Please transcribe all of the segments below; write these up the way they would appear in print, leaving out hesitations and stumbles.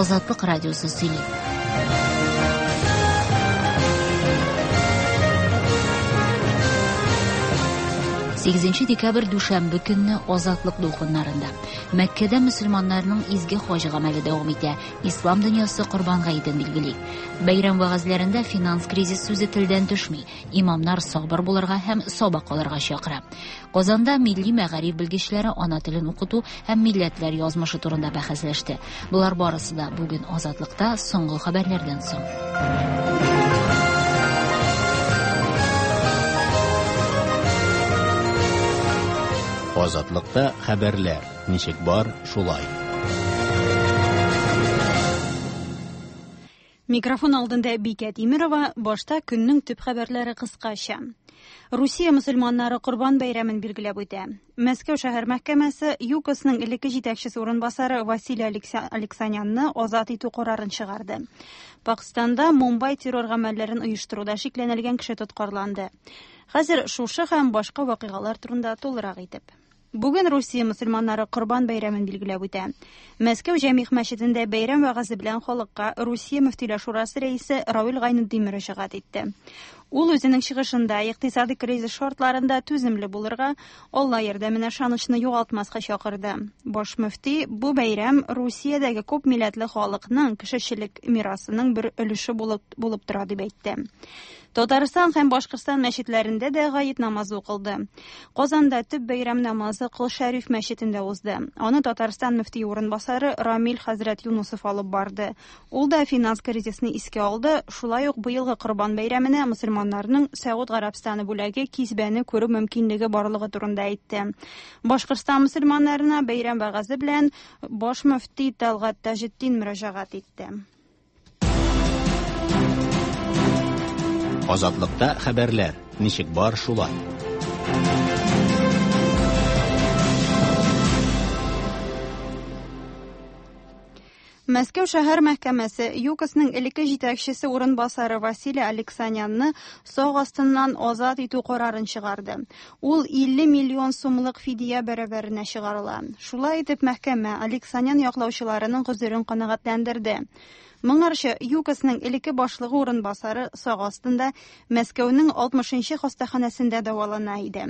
Азатлык радиосы сөйли. Сигезенче декабрь дүшәмбе көнне Азатлык дулкыннарында. Мәккәдә мөселманнарның изге хаҗ гамәле дәвам итә. Ислам дөньясы Корбан гаетен билгели. Бәйрәм вәгазьләрендә финанс кризис сүзе телдән төшми. Имамнар сабыр булырга һәм сабак алырга чакыра. Казанда милли мәгариф белгечләре ана телен укыту һәм милләтләр язмышы турында бәхәсләште. Болар барысы да бүген Азатлыкта соңгы хәбәрләрдән соң. Азатлыкта хәбәрләр ничек бар, шулай. Микрофон алдында Бикә Тимерова, башта көннең төп хәбәрләре кыскача. Русия мөселманнары Корбан бәйрәмен билгеләп үтә. Мәскәү шәһәр мәхкәмәсе ЮКОСның элекке җитәкчесе урынбасары Василий Алексанянны азат итү карарын чыгарды. Пакстанда Мумбай террор гамәлләрен оештыруда шикләнелгән кеше тоткарланды. Хәзер шушы һәм башка вакыйгалар турында тулырак итеп. Бүген Русия мөселманнары Корбан бәйрәмен билгеләп үтә. Мәскәү Җәмигъ мәчетендә бәйрәм вәгазе белән халыкка Русия мөфтиләр шурасы рәисе Равил Гайнетдин мөрәҗәгать итте. Ул үзенең чыгышында икътисади кризис шартларында түземле булырга, Алла ярдәменә ышанычны югалтмаска чакырды. Баш мөфти бу бәйрәм Русиядәге күп милләтле халыкның кешечелек мирасының бер өлеше булып, булып тора дип әйтте. Татарстан һәм Башкортстан мәчетләрендә дә гает намазы укылды. Казанда төп бәйрәм намазы Кол Шәриф мәчетендә узды. Аны Татарстан мөфтие урынбасары Рамил хәзрәт Юнусов алып барды. Ул да финанс кризисны искә алды, шулай ук быелгы Корбан бәйрәменә мөселманнарның Сәгуд Гарәбстаны бүләге кисбәне күрү мөмкинлеге барлыгы турында әйтте. Башкортстан мөселманнарына бәйрәм вәгазе белән баш мөфти Тәлгать Таҗетдин мөрәҗәгать итте. Азатлыкта хәбәрләр ничек бар шулай. Мәскәү шәһәр мәхкәмәсе ЮКОСның элекке җитәкчесе урынбасары Василий Алексанянны сак астыннан азат итү карарын чыгарды. Ул 50 миллион сумлык фидия бәрабәренә чыгарыла. Шулай итеп, мәхкәмә Алексанян яклаучыларының гозерен канәгатьләндерде. Моңарчы ЮКОСның элекке башлыгы урынбасары сак астында Мәскәүнең 60-нчы хастаханәсендә дәвалана иде.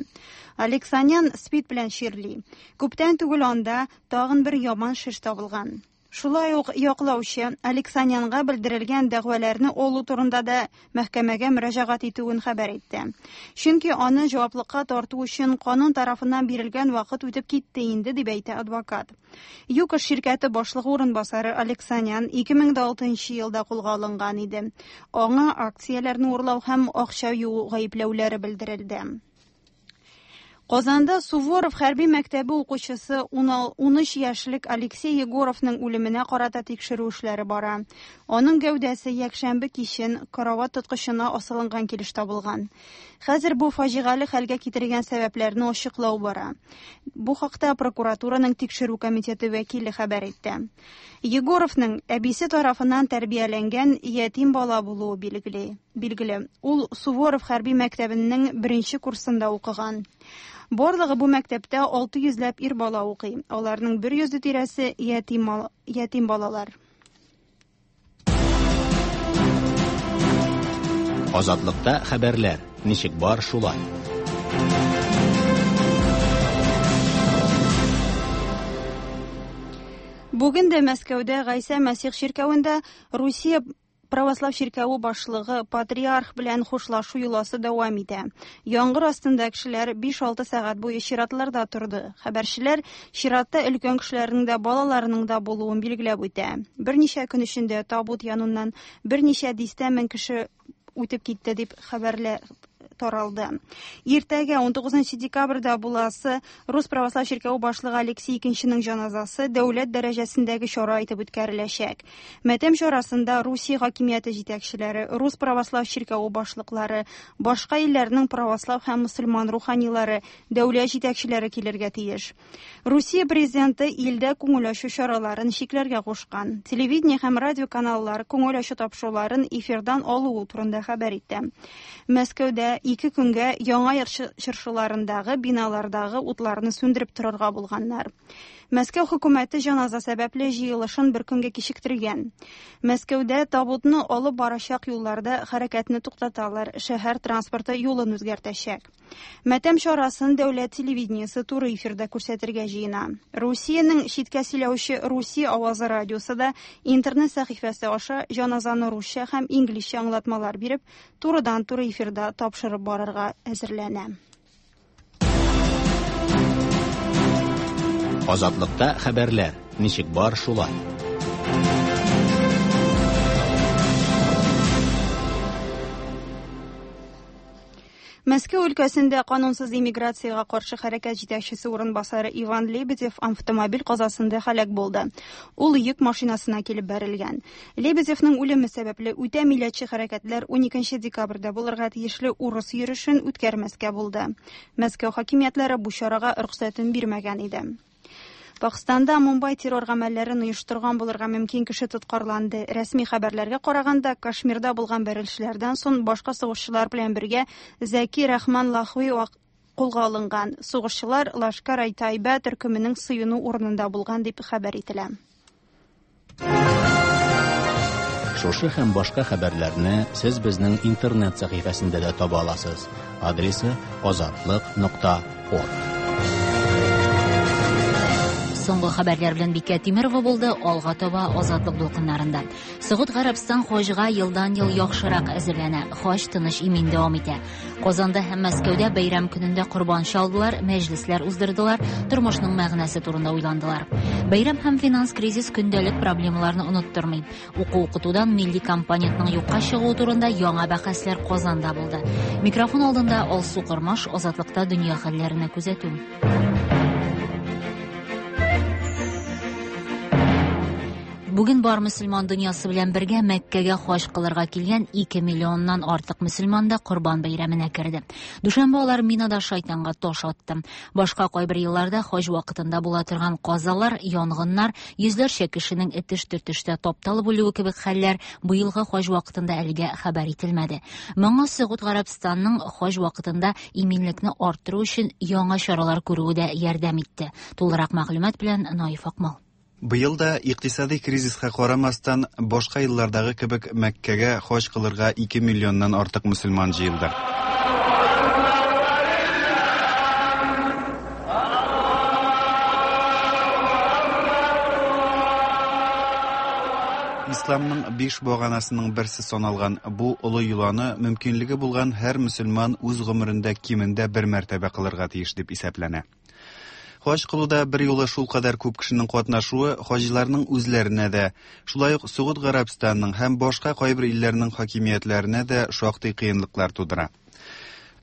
Алексанян СПИД белән чирли. Күптән түгел анда тагын бер яман шеш табылган. Шулай ук яклаучы Алексанянга белдерелгән дәгъваларны алу турында да мәхкәмәгә мөрәҗәгать итүен хәбәр итте. Чөнки аны җаваплыкка тарту өчен канун тарафыннан бирелгән вакыт үтеп китте инде, дип әйтә адвокат. ЮКОС ширкәте башлыгы урынбасары Алексанян 2006 елда кулга алынган иде. Аңа акцияләрне урлау һәм акча юу гаепләүләре белдерелде. Казанда Суворов хәрби мәктәбе укучысы 13 яшьлек Алексей Егоровның үлеменә карата тикшерү эшләре бара. Аның гәүдәсе якшәмбе кичен карават тоткычына асылынган килеш табылган. Хәзер бу фаҗигале хәлгә китергән сәбәпләрне ачыклау бара. Бу хакта прокуратураның тикшерү комитеты вәкиле хәбәр итте. Егоровның әбисе тарафыннан тәрбияләнгән ятим бала булуы билгеле. Билгеле, ул Суворов хәрби мәктәбенең беренче курсында укыган. Барлыгы бу мәктәптә 600 ләп ир бала укый. Аларның 100 тирәсе ятим, ятим балалар. Азатлыкта хәбәрләр ничек бар шулай. Бүген дә Мәскәүдә Гайсә Мәсих чиркәвендә Русия Православ чиркәве башлыгы патриарх белән хушлашу йоласы дәвам итә. Яңгыр астында кешеләр 5-6 сәгать буе чиратларда торды. Хәбәрчеләр чиратта өлкән кешеләрнең дә, балаларның да булуын билгеләп үтә. Берничә көн эчендә табут яныннан берничә дистә мең кеше үтеп китте дип хәбәрләр таралды. Иртәгә 19 декабрьдә буласы Рус православ чиркәве башлыгы Алексей II җаназасы дәүләт дәрәҗәсендәге чара итеп үткәреләчәк. Мәтәм чарасында Русия хакимияте җитәкчеләре, Рус православ чиркәве башлыклары, башка илләрнең православ һәм мөселман руханилары, дәүләт җитәкчеләре килергә тиеш. Русия президенты илдә күңел ачу чараларын чикләргә кушкан. Телевидение һәм радио каналлар күңел ачу тапшыруларын эфирдан алуы турында хәбәр итте. Мәскәүдә ике көнгә Яңа ел чыршыларындагы биналардагы утларны сүндереп торырга булганнар. Мәскәү хөкүмәте җаназа сәбәпле җыелышын бер көнгә кичектергән. Мәскәүдә табутны алып барачак юлларда хәрәкәтне туктаталар, шәһәр транспорты юлын үзгәртәчәк. Матәм чарасын дәүләт телевидениесе туры эфирда күрсәтергә җыена. Русиянең читкә сөйләүче Русия авазы радиосы да интернет сәхифәсе аша җаназаны русча һәм инглизчә аңлатмалар биреп, турыдан-туры эфирда тапшырып барырга әзерләнә. Азатлыкта хәбәрләр. Ничек бар шулай. Мәскәү өлкәсендә канунсыз иммиграциягә каршы хәрәкәт җитәкчесе урынбасары Иван Лебедев автомобиль казасында һәлак булды. Ул йөк машинасына килеп бәрелгән. Лебедевның үлеме сәбәпле үтә милләтче хәрәкәтләр 12 декабрьдә булырга тиешле урыс йөрешен үткәрмәскә булды. Мәскәү хакимиятләре бу чарага рөхсәтен бирмәгән иде. Пакстанда Мумбай террор гамәлләрен оештырган булырга мөмкин кеше тоткарланды. Рәсми хәбәрләргә караганда, Кашмирда булган бәрелешләрдән соң башка сугышчылар белән бергә Зәки Рахман Лахви кулга алынган. Сугышчылар Лашкар-ай-Тайба төркеменең сыену урынында булган дип хәбәр ителә. Шушы һәм башка хәбәрләрне сез безнең интернет сәхифәсендә дә таба аласыз. Адресы azatliq.org. Соңгы хәбәрләр белән Бикә Тимерова булды. Алга таба Азатлык дулкыннарында. Согуд Гарәбстан хаҗга елдан-ел яхшырак әзерләнә. Хаҗ тыныч имин дәвам итә. Казанда һәм Мәскәүдә бәйрәм көнендә корбан чалдылар, мәҗлесләр уздырдылар, тормышның мәгънәсе турында уйландылар. Бәйрәм һәм финанс кризис көндәлек проблемаларны оныттырмый. Уку-укытудан милли компонентның юкка чыгуы турында яңа бәхәсләр Казанда булды. Микрофон алдында Алсу Кормаш, Азатлыкта дөнья хәлләренә күзәтү. Бүген бар мөселман дөньясы белән бергә Мәккәгә хаҗ кылырга килгән 2 миллионнан артык мөселман да Корбан бәйрәменә керде. Дүшәмбе алар Минада шайтанга таш атты. Башка кайбер елларда хаҗ вакытында була торган казалар, янгыннар, йөзләрчә кешенең этеш-төртештә тапталып үлүе кебек хәлләр быелгы хаҗ вакытында әлегә хәбәр ителмәде. Моңа Согуд Гарәбстанның хаҗ вакытында иминлекне арттыру өчен яңа чаралар күрүе дә ярдәм итте. Тулырак мәгълүмат белән Наиф Акмал. Быел да икътисади кризиска карамастан, башка еллардагы кебек Мәккәгә хаҗ кылырга 2 миллионнан артык мөселман җыелды. Исламның 5 баганасының берсе саналган бу олы йоланы мөмкинлеге булган һәр мөселман үз гомерендә кимендә бер мәртәбә кылырга тиеш дип исәпләнә. Хаҗ кылуда бер юлы шул кадәр күп кешенең катнашуы хаҗиларның үзләренә дә, шулай ук Согуд Гарәбстанның һәм башка кайбер илләрнең хакимиятләренә дә шактый кыенлыклар тудыра.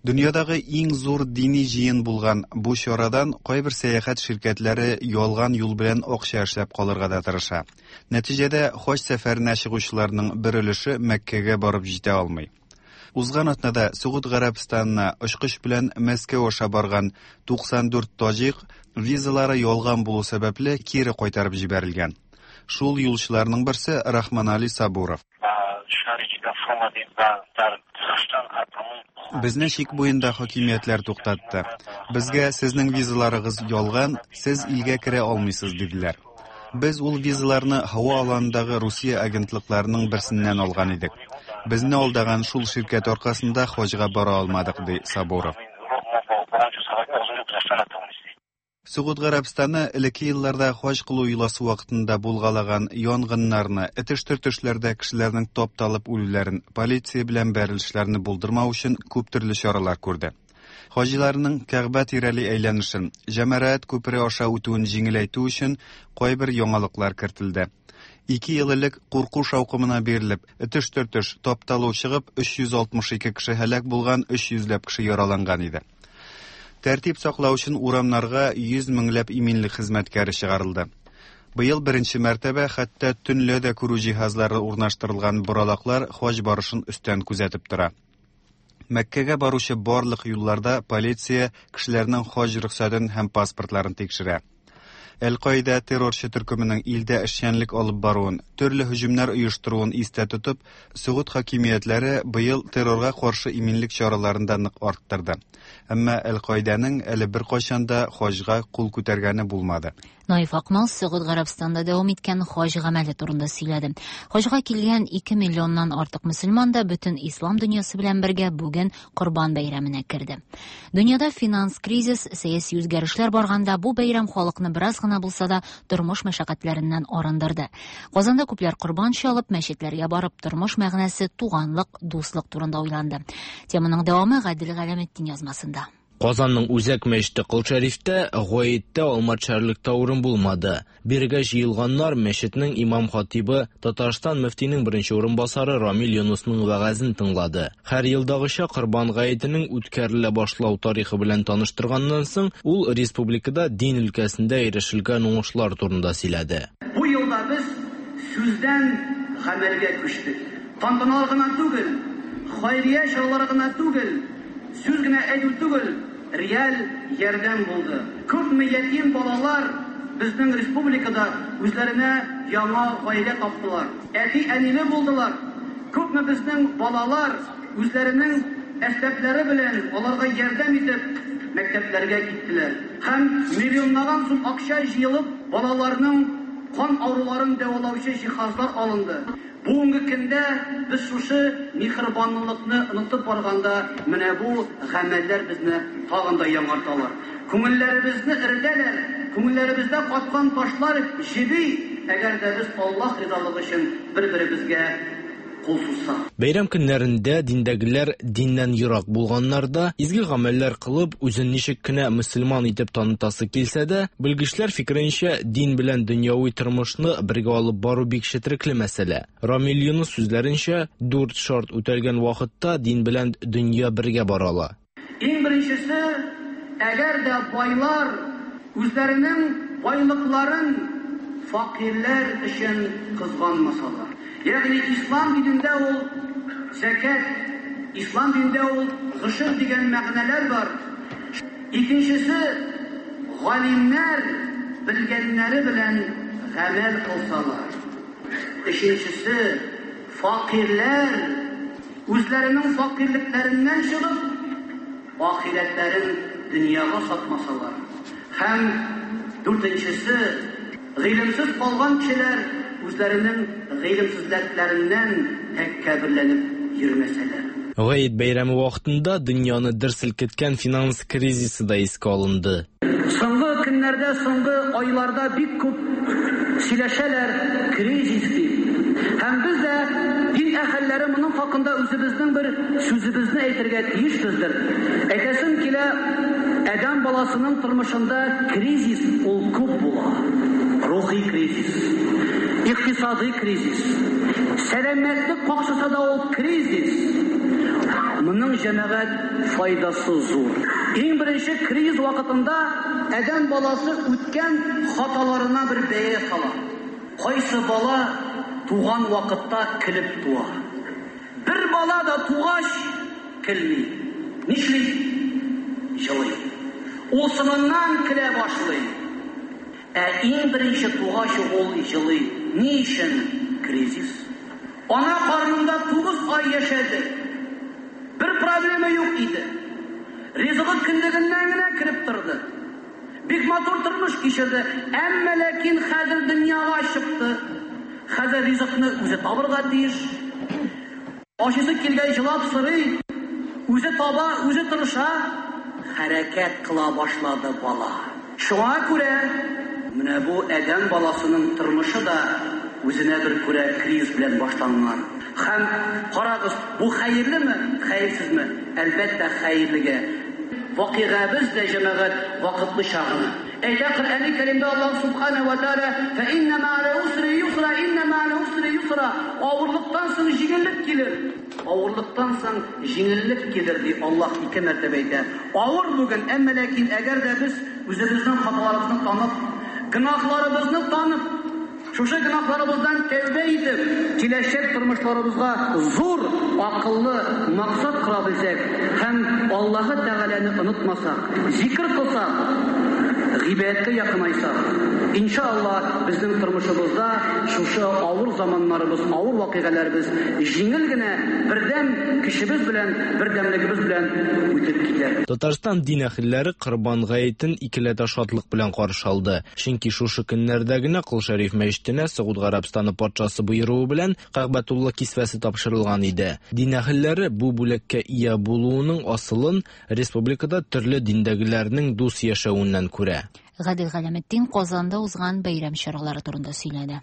Дөньядагы иң зур дини җыен булган бу чарадан кайбер сәяхәт ширкәтләре ялган юл белән акча эшләп калырга да тырыша. Нәтиҗәдә хаҗ сәфәренә чыгучыларның бер өлеше Мәккәгә барып җитә алмый. Узган атнада Согуд Гарәбстанына очкыч белән Мәскәү аша барган 94 таҗик визалары ялган булу сәбәпле кире кайтарып җибәрелгән. Шул юлчыларның берсе Рахманали Сабуров. Безне чик буенда хакимиятләр туктатты. Безгә сезнең визаларыгыз ялган, сез илгә керә алмыйсыз диделәр. Без ул визаларны һава аланындагы Русия агентлыкларының берсеннән алган идек. Безне алдаган шул ширкәт аркасында хаҗга бара алмадык, ди Сабуров. Согуд Гарәбстаны элекке елларда хаҗ кылу йоласы вакытында булгалаган янгыннарны, этеш-төртешләрдә кешеләрнең тапталып үлүләрен, полиция белән бәрелешләрне булдырмау өчен күп төрле чаралар күрде. Хаҗиларның Кәгъбә тирәли әйләнешен, Җәмәрәт күпере аша үтүен җиңеләйтү өчен кайбер яңалыклар кертелде. 2 ел элек курку шаукымына бирелеп, этеш-төртеш, тапталу чыгып, 362 кеше һәлак булган, 300 ләп кеше яраланган иде. Тәртип саклау өчен урамнарга 100 меңләп иминлек хезмәткәре чыгарылды. Быел беренче мәртәбә хәтта төнлә дә күрү җиһазлары урнаштырылган боралаклар хаҗ барышын өстән күзәтеп тора. Мәккәгә баручы барлык юлларда полиция кешеләрнең хаҗ рөхсәтен һәм паспортларын тикшерә. Әл-Каидә террорчы төркеменең илдә эшчәнлек алып баруын, төрле һөҗүмнәр оештыруын истә тотып, Сөгуд хакимиятләре быел террорга каршы иминлек чараларын да нык арттырды. Әмма Әл-Каидәнең әле беркайчан да хаҗга кул күтәргәне булмады. Наиф Акмал Сөгуд Гарәбстанда дәвам иткән хаҗ гамәле турында сөйләде. Хаҗга килгән 2 миллионнан артык мөселман да бөтен ислам дөньясы белән бергә бүген Корбан бәйрәменә керде. Дөньяда финанс кризис, сәяси үзгәрешләр барганда бу бәйрәм халыкны бераз гына булса да тормыш мәшәкатьләреннән арындырды. Казанда күпләр корбан чалып, мәчетләргә барып, тормыш мәгънәсе, туганлык, дуслык турында уйланды. Теманың дәвамы Гадел Галәметдин язмасында. Казанның үзәк мәчете Кол Шәрифтә гаеттә алма төшәрлек тә урын булмады. Бирегә җыелганнар мәчетнең имам-хатибы, Татарстан мөфтинең беренче урынбасары Рамил Юнысның вәгазен тыңлады. Һәр елдагыча Корбан гаетенең үткәрелә башлау тарихы белән таныштырганнан соң, ул республикада дин өлкәсендә ирешелгән уңышлар турында сөйләде. Бу елда без сүздән гамәлгә күчтек. Тантаналар гына түгел, хәйрия чаралары гына түгел, сүз генә әйтү түгел, реаль ярдәм булды. Күпме ятим балалар безнең республикада үзләренә яңа гаилә таптылар. Әти-әниле булдылар. Күпме безнең балалар үзләренең әсбаплары белән аларга ярдәм итеп мәктәпләргә киттеләр. Һәм миллионлаган сум акча җыелып, балаларның кан авыруларын дәвалаучы җиһазлар алынды. Бүгенге көндә без шушы миһербанлылыкны онытып барганда, менә бу гамәлләр безне тагын да яңарталар. Күңелләребезне эретәләр, күңелләребездә каткан ташлар җеби, әгәр дә без Аллаһ ризалыгы өчен бер-беребезгә кул сузсак. Бәйрәм көннәрендә диндәгеләр диннән ерак булганнар да, изге гамәлләр кылып, үзен ничек кенә мөселман итеп танытасы килсә дә, белгечләр фикеренчә, дин белән дөньяви тормышны бергә алып бару бик четерекле мәсьәлә. Рамил Юныс сүзләренчә, дүрт шарт үтәлгән вакытта дин белән дөнья бергә бара ала. Иң беренчесе, әгәр дә байлар үзләренең байлыкларын факирләр өчен кызганмасалар. Ягъни ислам динендә ул зәкят, ислам динендә ул гошер дигән мәгънәләр бар. Икенчесе, галимнәр белгәннәре белән гамәл кылсалар. Өченчесе, факирләр үзләренең факирлекләреннән чыгып, ахирәтләрен дөньяга сатмасалар. Һәм дүртенчесе, гыйлемсез калган кешеләр үзләренең гыйлемсезлекләреннән тәкәбберләнеп йөрмәсәләр. Гает бәйрәме вакытында дөньяны дер селкеткән финанс кризисы да искә алынды. Соңгы көннәрдә, соңгы айларда бик күп сөйләшәләр кризис дип. Һәм без дә дин әһелләре моның хакында үзебезнең бер сүзебезне әйтергә тиешбездер. Әйтәсем килә, адәм баласының тормышында кризис ул күп була. Рухи кризис, икътисадый кризис, сәламәтлек какшаса да ул кризис. Моның җәмәгать файдасы зур. Иң беренче кризис вакытында адәм баласы үткән хаталарына бер бәя сала. Кайсы бала туган вакытта көлеп туа. Бер бала да тугач көлми. Нишли? Җылый. Ул соңыннан көлә башлый. Ә иң беренче тугач ул җылый. Ни өчен? Кризис. Ана карнында 9 ай яшәде. Бер проблема юк иде. Ризыгы кендегеннән генә кереп торды. Бик матур тормыш кичерде. Әмма ләкин хәзер дөньяга чыкты. Хәзер ризыкны үзе табырга тиеш. Ашыйсы килгән җылап сорый, үзе таба, үзе тырыша, хәрәкәт кыла башлады бала. Шуңа күрә менә бу адәм баласының тормышы да үзенә бер күрә кризис белән башланган. Һәм карагыз, бу хәерлеме, хәерсезме? Әлбәттә, хәерлегә. Вакыйгабыз да җәмәгать вакытлыча гына. Әйтә Коръәни Кәримдә Аллаһ Субхана ва Тааля: "Фа инна ма'ал усри юсра, инна ма'ал усри юсра". Авырлыктан соң җиңеллек килер. Авырлыктан соң җиңеллек килер ди Аллаһ ике мәртәбә әйтә. Авыр бүген, әмма ләкин әгәр дә без үзебезнең хаталарыбызны танып, гөнаһларыбызны танып, шушы гөнаһларыбыздан тәүбә итеп, киләчәк тормышларыбызга зур акыллы максат кора белсәк һәм Аллаһы Тәгаләне онытмасак, зикр кылсак, гыйбадәткә якынайсак, иншалла, безнең тормышыбызда шушы авыр заманнарыбыз, авыр вакыйгаларыбыз җиңел генә бердәм көчебез белән, бердәмлегебез белән үтеп китәр. Татарстан дин әһелләре Корбан гаетен икеләтә шатлык белән каршы алды. Чөнки шушы көннәрдә генә Кол Шәриф мәчетенә Согуд Гарәбстаны патшасы боеруы белән Кәгъбәтулла кисвәсе тапшырылган иде. Дин әһелләре бу бүләккә ия булуының асылын республикада төрле диндәгеләрнең дус яшәвеннән күрә. Гадел Галәметдин Казанда узган бәйрәм чаралары турында сөйләде.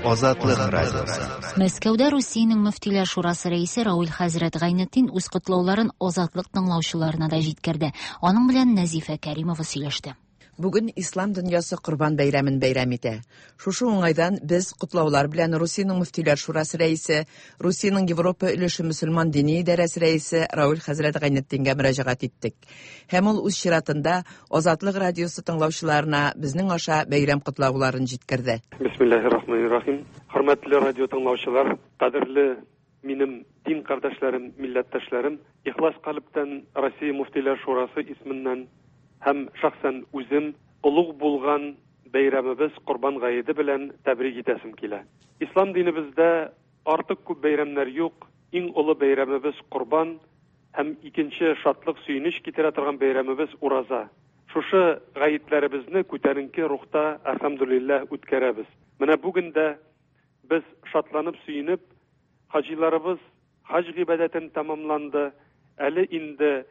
Азатлык радиосы. Мәскәүдә Русиянең мөфтиләр шурасы рәисе Рауль хәзрәт Гайнетдин үз котлауларын Азатлык тыңлаучыларына да җиткерде. Аның белән Нәзифә Кәримова сөйләште. Бүген ислам дөньясы Корбан бәйрәмен бәйрәм итә. Шушы уңайдан без котлаулар белән Русиянең мөфтиләр шурасы рәисе, Русиянең Европа өлеше мөселман дини идарәсе рәисе Рауль хәзрәт Гайнетдингә мөрәҗәгать иттек. Һәм ул үз чиратында Азатлык радиосы тыңлаучыларына безнең аша бәйрәм котлауларын җиткерде. Бисмиллаһир-рахманир-рахим. Хөрмәтле радио тыңлаучылар, кадерле минем дин кардәшләрем, милләттәшләрем, ихлас калептән Россия мөфтиләр шурасы исеменнән һәм шәхсән үзем олуг булган бәйрәмебез Корбан гаете белән тәбрик итәсем килә. Ислам динебездә артык күп бәйрәмнәр юк. Иң олы бәйрәмебез Корбан һәм икенче шатлык, сөенеч китерә торган бәйрәмебез Ураза. Шушы гаетләребезне күтәренке рухта, әлхәмдүлилләһ, үткәрәбез. Менә бүген дә без шатланып, сөенеп, хаҗиларыбыз хаҗ гыйбадәтен тәмамланды. Әле инде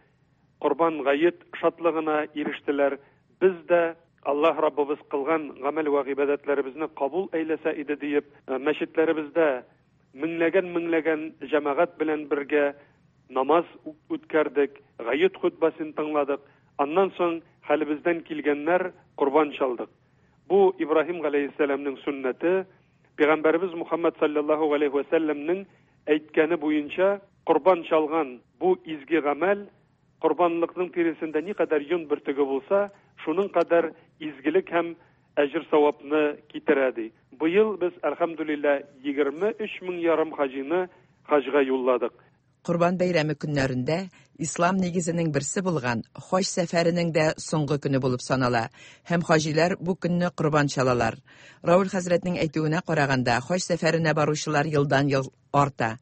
Корбан гает шатлыгына ирештеләр. Без дә Аллаһ Раббыбыз кылган гамәл вә гыйбадәтләребезне кабул әйләсә иде диеп, мәчетләребездә меңләгән-меңләгән җәмәгать белән бергә намаз үткәрдек, гает хөтбәсен тыңладык. Аннан соң хәлебездән килгәннәр корбан чалдык. Бу Ибраһим галәйһиссәламнең сөннәте, Пәйгамбәребез Мухаммад саллаллаһу галәйһи вә сәлләмнең әйткәне буенча корбан чалган бу изге гамәл корбанлыкның тиресендә никадәр йон бөртеге булса, шуның кадәр изгелек һәм әҗер-савапны китерә ди. Быел без, әлхәмдүлилләһ, 23 мең ярым хаҗины хаҗга юлладык. Корбан бәйрәме көннәрендә ислам нигезенең берсе булган хаҗ сәфәренең дә соңгы көне булып санала һәм хаҗиләр бу көнне корбан чалалар. Рауль хәзрәтнең әйтүенә караганда, хаҗ сәфәренә баручылар елдан-ел арта.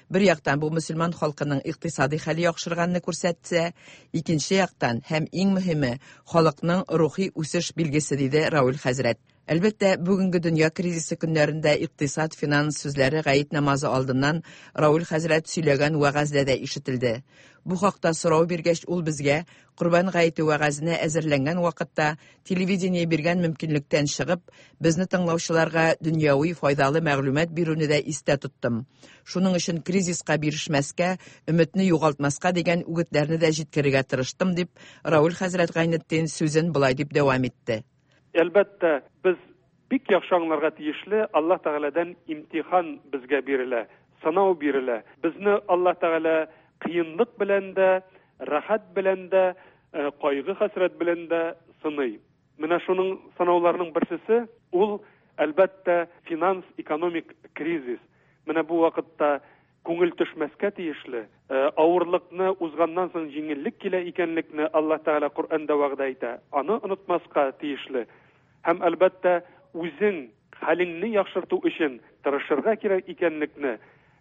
Бер яктан бу мөселман халкының икътисади хәле яхшырганны күрсәтсә, икенче яктан һәм иң мөһиме халыкның рухи үсеш билгесе, диде Рауль хәзрәт. Әлбәттә, бүгенге дөнья кризисы көннәрендә икътисад, финанс сүзләре гает намазы алдыннан Рауль хәзрәт сөйләгән вәгазьдә дә ишетелде. Бу хакта сорау биргәч, ул безгә Корбан гаете вәгазенә әзерләнгән вакытта телевидение биргән мөмкинлектән чыгып, безне тыңлаучыларга дөньяви файдалы мәгълүмат бирүне дә истә тоттым. Шуның өчен кризиска бирешмәскә, өметне югалтмаска дигән үгетләрне дә җиткерергә тырыштым, дип Рауль хәзрәт Гайнетдин сүзен болай дип дәвам итте. Әлбәттә, без бик яхшы аңларга тиешле, Аллаһ Тәгаләдән имтихан безгә бирелә, сынау бирелә. Безне Аллаһ Тәгалә кыенлык белән дә, рәхәт белән дә, кайгы-хәсрәт белән дә сыный. Менә шуның сынауларның берсесе ул, әлбәттә, финанс-экономик кризис. Менә бу вакытта күңел төшмәскә тиешле, авырлыкны узганнан соң җиңеллек килә икәнлекне Аллаһ Тәгалә Коръәндә вәгъдә итә. Аны онытмаска тиешле. Һәм, әлбәттә, үзең хәлеңне яхшырту өчен тырышырга кирәк икәнлекне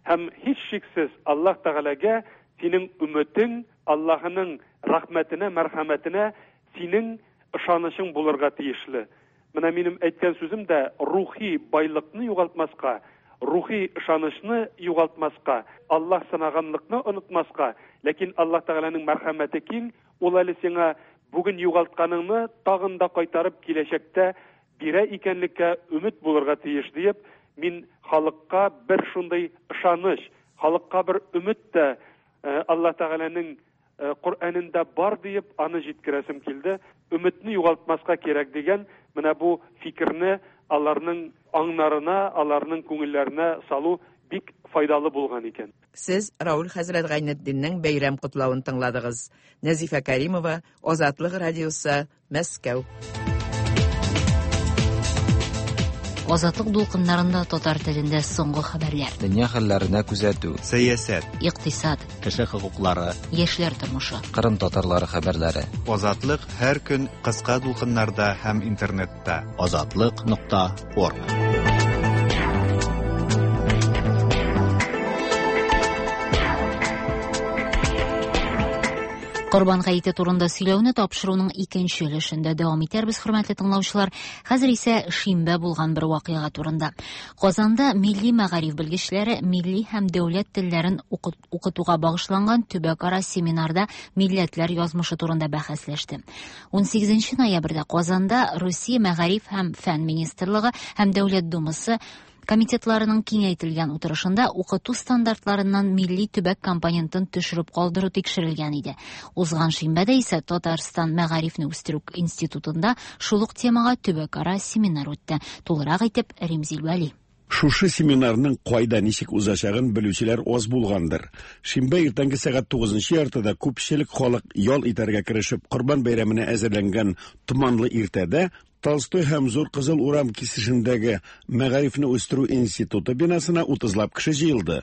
һәм һичшиксез Аллаһ Тәгаләгә синең өметең, Аллаһының рәхмәтенә, мәрхәмәтенә синең ышанычың булырга тиешле. Менә минем әйткән сүзем дә рухи байлыкны югалтмаска, рухи ышанычны югалтмаска, Аллаһ сынаганлыкны онытмаска, ләкин Аллаһ Тәгаләнең мәрхәмәте киң, ул әле сиңа бүген югалтканыңны тагын да кайтарып киләчәктә бирә икәнлеккә өмет булырга тиеш диеп, мин халыкка бер шундый ышаныч, халыкка бер өмет тә Аллаһ Тәгаләнең Коръәнендә бар диеп, аны җиткерәсем килде. Өметне югалтмаска кирәк дигән менә бу фикерне аларның аңнарына, аларның күңелләренә салу бик файдалы булган икән. Сез Рауль хәзрәт Гайнетдиннең бәйрәм котлавын тыңладыгыз. Нәзифә Кәримова, Азатлык радиосы, Мәскәү. Азатлык дулкыннарында татар телендә соңгы хәбәрләр. Дөнья хәлләренә күзәтү. Сәясәт. Икътисад. Кеше хокуклары. Яшьләр тормышы. Кырым татарлары хәбәрләре. Азатлык һәр көн кыска дулкыннарда һәм интернетта. Азатлык.орг. Корбан гаете турында сөйләүне тапшыруның икенче өлешендә дәвам итәрбез, хөрмәтле тыңлаучылар. Хәзер исә шимбә булган бер вакыйга турында. Казанда милли мәгариф белгечләре милли һәм дәүләт телләрен укытуга багышланган төбәкара семинарда милләтләр язмышы турында бәхәсләште. 18 ноябрьдә Казанда Русия мәгариф һәм фән министрлыгы һәм Дәүләт Думасы комитетларының киңәйтелгән утырышында укыту стандартларыннан милли төбәк компонентын төшереп калдыру тикшерелгән иде. Узган шимбәдә исә Татарстан мәгарифне үстерү институтында шул ук темага төбәкара семинар үтте. Тулырак итеп Римзил Вәли. Шушы семинарның кайда ничек узачагын белүчеләр аз булгандыр. Шимбә иртәнге сәгать 9:30 күпчелек халык ял итәргә керешеп Корбан бәйрәменә әзерләнгән томанлы иртәдә Толстой һәм Зур Кызыл урам кисешендәге Мәгарифне үстерү институты бинасына 30лап кеше җыелды.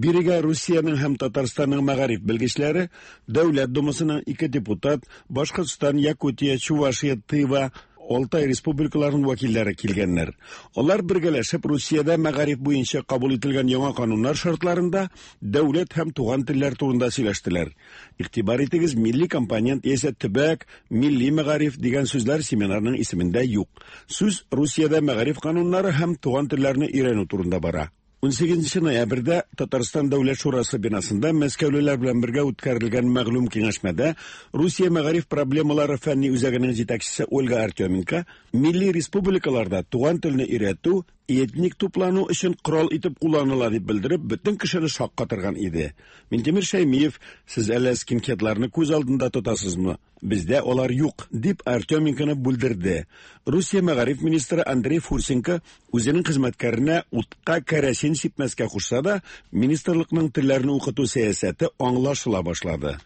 Бирегә Русиянең һәм Татарстанның мәгариф белгечләре, Дәүләт Думасының 2 депутат, Башкортстан, Якутия, Чувашия, Тыва, Алтай республикаларының вәкилләре килгәннәр. Алар бергәләшеп Русиядә мәгариф буенча кабул ителгән яңа кануннар шартларында дәүләт һәм туган телләр турында сөйләштеләр. Игътибар итегез, милли компонент яисә төбәк, милли мәгариф дигән сүзләр семинарның исемендә юк. Сүз Русиядә мәгариф кануннары һәм туган телләрне өйрәнү турында бара. 18 ноябрьдә Татарстан Дәүләт Шурасы бинасында мәскәүлеләр белән бергә үткәрелгән мәгълүм киңәшмәдә Русия мәгариф проблемалары фәнни үзәгенең җитәкчесе Ольга Артеменко милли республикаларда туган телне өйрәтү этник туплану өчен корал итеп кулланыла дип белдереп, бөтен кешене шаккатырган иде. Минтимер Шәймиев, сез әллә скинхедларны күз алдында тотасызмы? Бездә алар юк, дип Артеменконы бүлдерде. Русия мәгариф министры Андрей Фурсенко үзенең хезмәткәренә утка кәрәсин сипмәскә кушса да, министрлыкның телләрне укыту сәясәте аңлашыла башлады.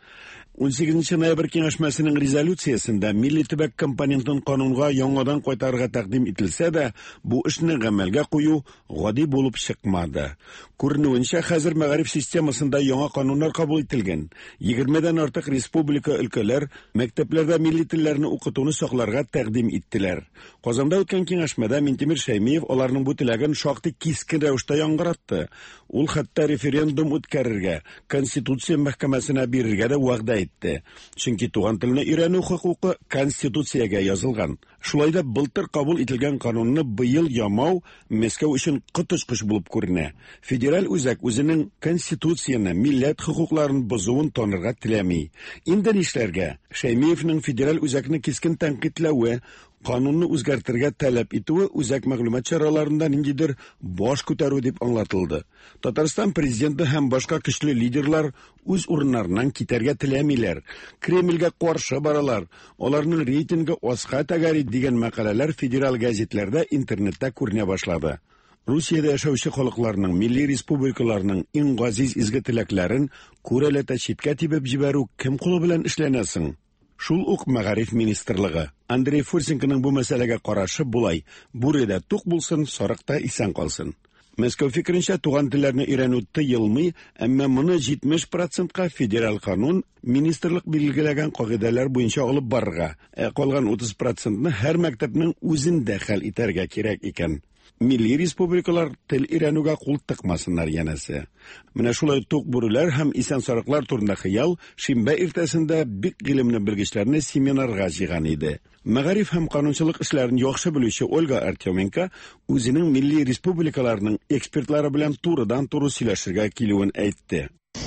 18 ноябрь киңәшмәсенең резолюциясендә милли төбәк компонентын канунга яңадан кайтарырга тәкъдим ителсә дә, бу эшне гамәлгә кую гади булып чыкмады. Күренүенчә, хәзер мәгариф системасында яңа кануннар кабул ителгән. 20дән артык республика өлкәләр мәктәпләрдә милли телләрне укытуны сакларга тәкъдим иттеләр. Казанда үткән киңәшмәдә Минтимер Шәймиев аларның бу теләген шактый кискен рәвештә яңгыратты. Ул хәтта референдум үткәрергә, Конституция мәхкәмәсенә бирергә дә вәгъдә итте. Чөнки туган телне өйрәнү хокукы Конституциягә язылган. Шулай да былтыр кабул ителгән канунны быел ямау Мәскәү өчен коточкыч булып күренә. Федераль үзәк үзенең Конституцияне, милләт хокукларын бозуын танырга теләми. Инде нишләргә? Шәймиевнең федераль үзәкне кискен тәнкыйтьләве, канунны үзгәртергә таләп итүе үзәк мәгълүмат чараларында ниндидер баш күтәрү дип аңлатылды. Татарстан президенты һәм башка көчле лидерлар үз урыннарыннан китәргә теләмиләр. Кремльгә каршы баралар. Аларның рейтингы аска тәгәри дигән мәкаләләр федераль газетләрдә, интернетта күренә башлады. Русиядә яшәүче халыкларның, милли республикаларның иң газиз изге теләкләрен күрәләтә читкә тибеп җибәрү кем кулы белән эшләнә соң? Шул ук мәгариф министрлыгы. Андрей Фурсенконың бу мәсьәләгә карашы болай: бүре дә тук булсын, сарык та исән калсын. Мәскәү фикеренчә, туган телләрне өйрәнү тыелмый, әмма моны 70%ка федераль канун министрлык билгеләгән кагыйдәләр буенча алып барырга, ә калган 30%ны һәр мәктәпнең үзендә хәл итәргә кирәк икән. Милли республикалар тел өйрәнүгә кул тыкмасыннар янәсе. Менә шулай тук бүреләр һәм исән сарыклар турында хыял шимбә иртәсендә бик гыйлемле белгечләрне семинарга җыйган иде. Мәгариф һәм канунчылык эшләрен яхшы белүче Ольга Артеменко үзенең милли республикаларның экспертлары белән турыдан-туры сөйләшергә килүен әйтте.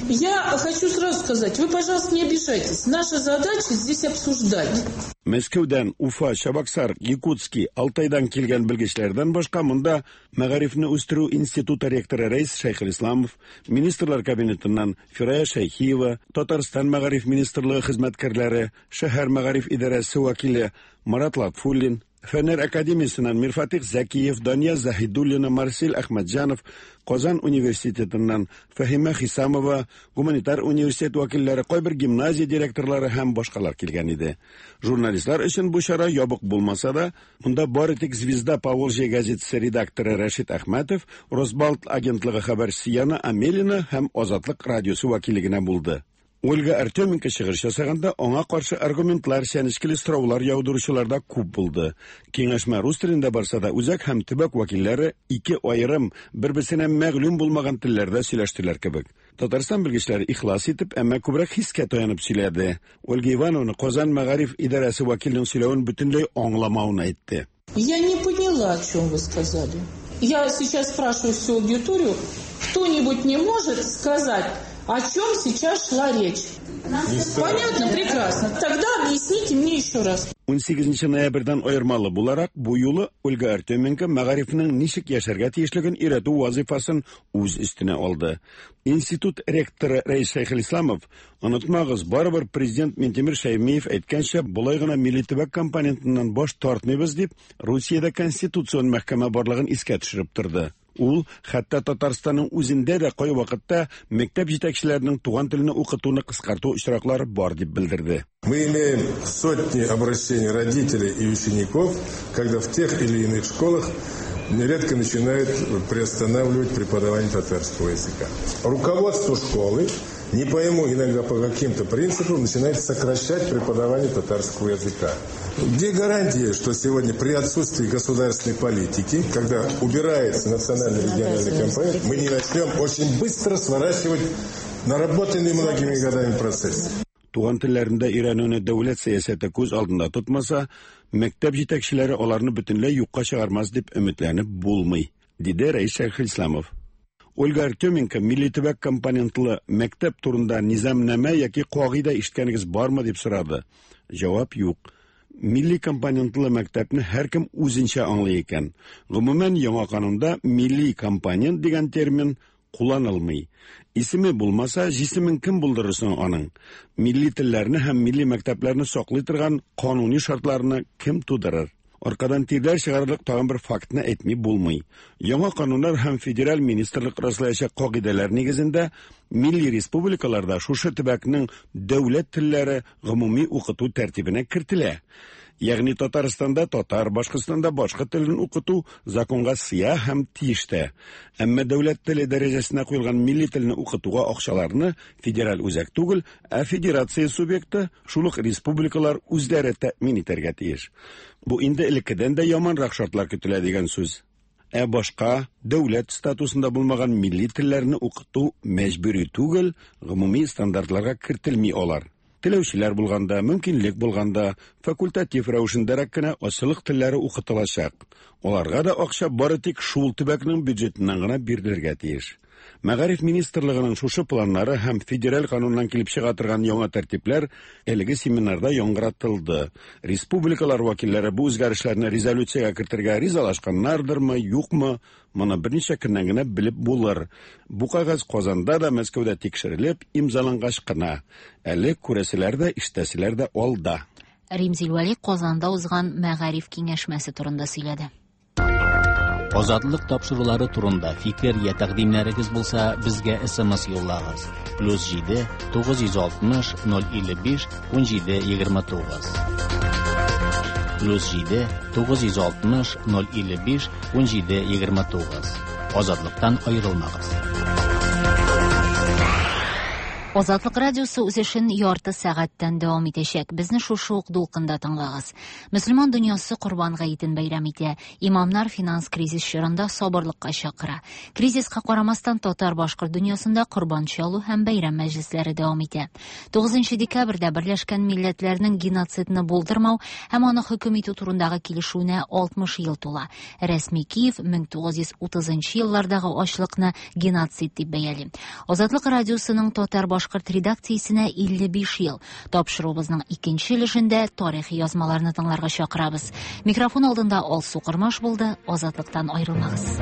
Я хочу сразу сказать, вы, пожалуйста, не обижайтесь. Наша задача здесь обсуждать. Мәскәүдән, Уфа, Чабаксар, Якутский, Алтайдан килгән белгечләрдән башка монда Мәгарифне үстерү институты ректоры Рәис Шәйхелисламов, Министрлар кабинетыннан Фирая Шәйхиева, Татарстан мәгариф министрлыгы хезмәткәрләре, шәһәр мәгариф идарәсе вәкиле Марат Латфуллин, Фәннәр академиясеннән Мирфатих Зәкиев, Дания Заһидуллина, Марсель Әхмәтҗанов, Казан университетыннан Фәһимә Хисамова, гуманитар университет вәкилләре, кайбер гимназия директорлары һәм башкалар килгән иде. Журналистлар өчен бу чара ябык булмаса да, монда бары тик «Звезда Поволжья» газетасы редакторы Рәшит Әхмәтов, Росбалт агентлыгы хәбәрчесе Яна Амелина һәм Азатлык радиосы вәкиле генә булды. Ольга Артеменко чыгыш ясаганда аңа каршы аргументлар, чәнечкеле сораулар яудыручылар да күп булды. Киңәшмә рус телендә барса да, үзәк һәм төбәк вәкилләре ике аерым, бер-берсенә мәгълүм булмаган телләрдә сөйләштеләр кебек. Татарстан белгечләре ихлас итеп, әмма күбрәк хискә таянып сөйләде. Ольга Ивановна Казан мәгариф идарәсе вәкиленең сөйләвен бөтенләй аңламавын әйтте. Я не поняла, о чем вы сказали. Я сейчас спрашиваю всю аудиторию, кто-нибудь не может сказать, о чем сейчас шла речь? Понятно, прекрасно. Тогда объясните мне еще раз. 18 ноябрьдән аермалы буларак, бу юлы Ольга Артеменко мәгарифнең ничек яшәргә тиешлеген өйрәтү вазифасын үз өстенә алды. Институт ректоры Рәис Шәйхелисламов, онытмагыз, барыбер президент Минтимер Шәймиев әйткәнчә, болай гына милли төбәк компонентыннан баш тартмыйбыз дип, Русиядә конституцион мәхкәмә барлыгын искә төшереп торды. Ул хәтта Татарстанның үзендә дә кайвакытта мәктәп җитәкчеләренең туган телне укытуны кыскарту очраклары бар дип белдерде. Мы имеем сотни обращений родителей и учеников, когда в тех или иных школах нередко начинают приостанавливать преподавание татарского языка. Руководство школы, не пойму иногда по каким-то принципам, начинает сокращать преподавание татарского языка. Где гарантия, что сегодня при отсутствии государственной политики, когда убирается национальный региональный компонент, мы не начнем очень быстро сворачивать наработанный многими годами процесс? Туган телләрендә өйрәнүне дәүләт сәясәте күз алдында тотмаса, мәктәп җитәкчеләре аларны бөтенләй юкка чыгармас дип өметләнеп булмый, диде Рәис Шәйхелисламов. Ольга Артеменко милли төбәк компонентлы мәктәп турында низамнамә яки кагыйдә ишеткәнегез бармы дип сорады. Җавап юк. Милли компонентлы мәктәпне һәркем үзенчә аңлый икән. Гомумән, яңа канунда милли компонент дигән термин кулланылмый. Исеме булмаса, җисемен кем булдырыр соң аның? Милли телләрне һәм милли мәктәпләрне саклый торган кануни шартларны кем тудырыр? Аркадан тирләр чыгарырлык тагын бер фактны әйтми булмый. Яңа кануннар һәм федераль министрлык раслаячак кагыйдәләр нигезендә милли республикаларда шушы төбәкнең дәүләт телләре гомуми укыту тәртибенә кертелә. Ягъни Татарстанда татар, Башкортстанда башкорт телен укыту законга сыя һәм тиеш тә. Әмма дәүләт теле дәрәҗәсенә куелган милли телне укытуга акчаларны федераль үзәк түгел, ә федерация субъекты, шул ук республикалар үзләре тәэмин итәргә тиеш. Бу инде элеккедән дә яманрак шартлар көтелә дигән сүз. Ә башка дәүләт статусында булмаган милли телләрне укыту мәҗбүри түгел, гомуми стандартларга кертелми алар. Теләүчеләр булганда, мөмкинлек булганда, факультатив рәвешендәрәк кенә азчылык телләре укытылачак. Аларга да акча бары тик шул төбәкнең бюджетыннан гына бирелергә тиеш. Мәгариф министрлыгының шушы планнары һәм федераль кануннан килеп чыга торган яңа тәртипләр әлеге семинарда яңгыратылды. Республикалар вәкилләре бу үзгәрешләрне резолюциягә кертергә ризалашканнардырмы, юкмы, моны берничә көннән генә белеп булыр. Бу кәгазь Казанда да, Мәскәүдә тикшерелеп, имзалангач кына. Әле күрәселәр дә, ишетәселәр дә алда. Римзил Вәли Казанда узган мәгариф киңәшмәсе турында сөйләде. Азатлык тапшырулары турында фикер я тәкъдимнәрегез булса, безгә SMS юллагыз. +7 960 055 17 29. +7 960 055 17 29. Азатлыктан аерылмагыз. Азатлык радиосы үз эшен ярты сәгатьтән дәвам итәчәк. Безне шушы ук дулкында тыңлагыз. Мөселман дөньясы Корбан гаетен бәйрәм итә. Имамнар финанс кризис чорында сабырлыкка чакыра. Кризиска карамастан татар-башкорт дөньясында корбан чалу һәм бәйрәм мәҗлесләре дәвам итә. 9 декабрьдә Берләшкән Милләтләрнең геноцидны булдырмау һәм аны хөкем итү турындагы килешүенә 60 ел тула. Рәсми Киев 1930 еллардагы ачлыкны геноцид дип бәяли. Азатлык радиосының татар-башкорт редакциясенә 55 ел. Тапшыруыбызның икенче өлешендә тарихи язмаларны тыңларга чакырабыз. Микрофон алдында Алсу Кормаш булды. Азатлыктан аерылмагыз.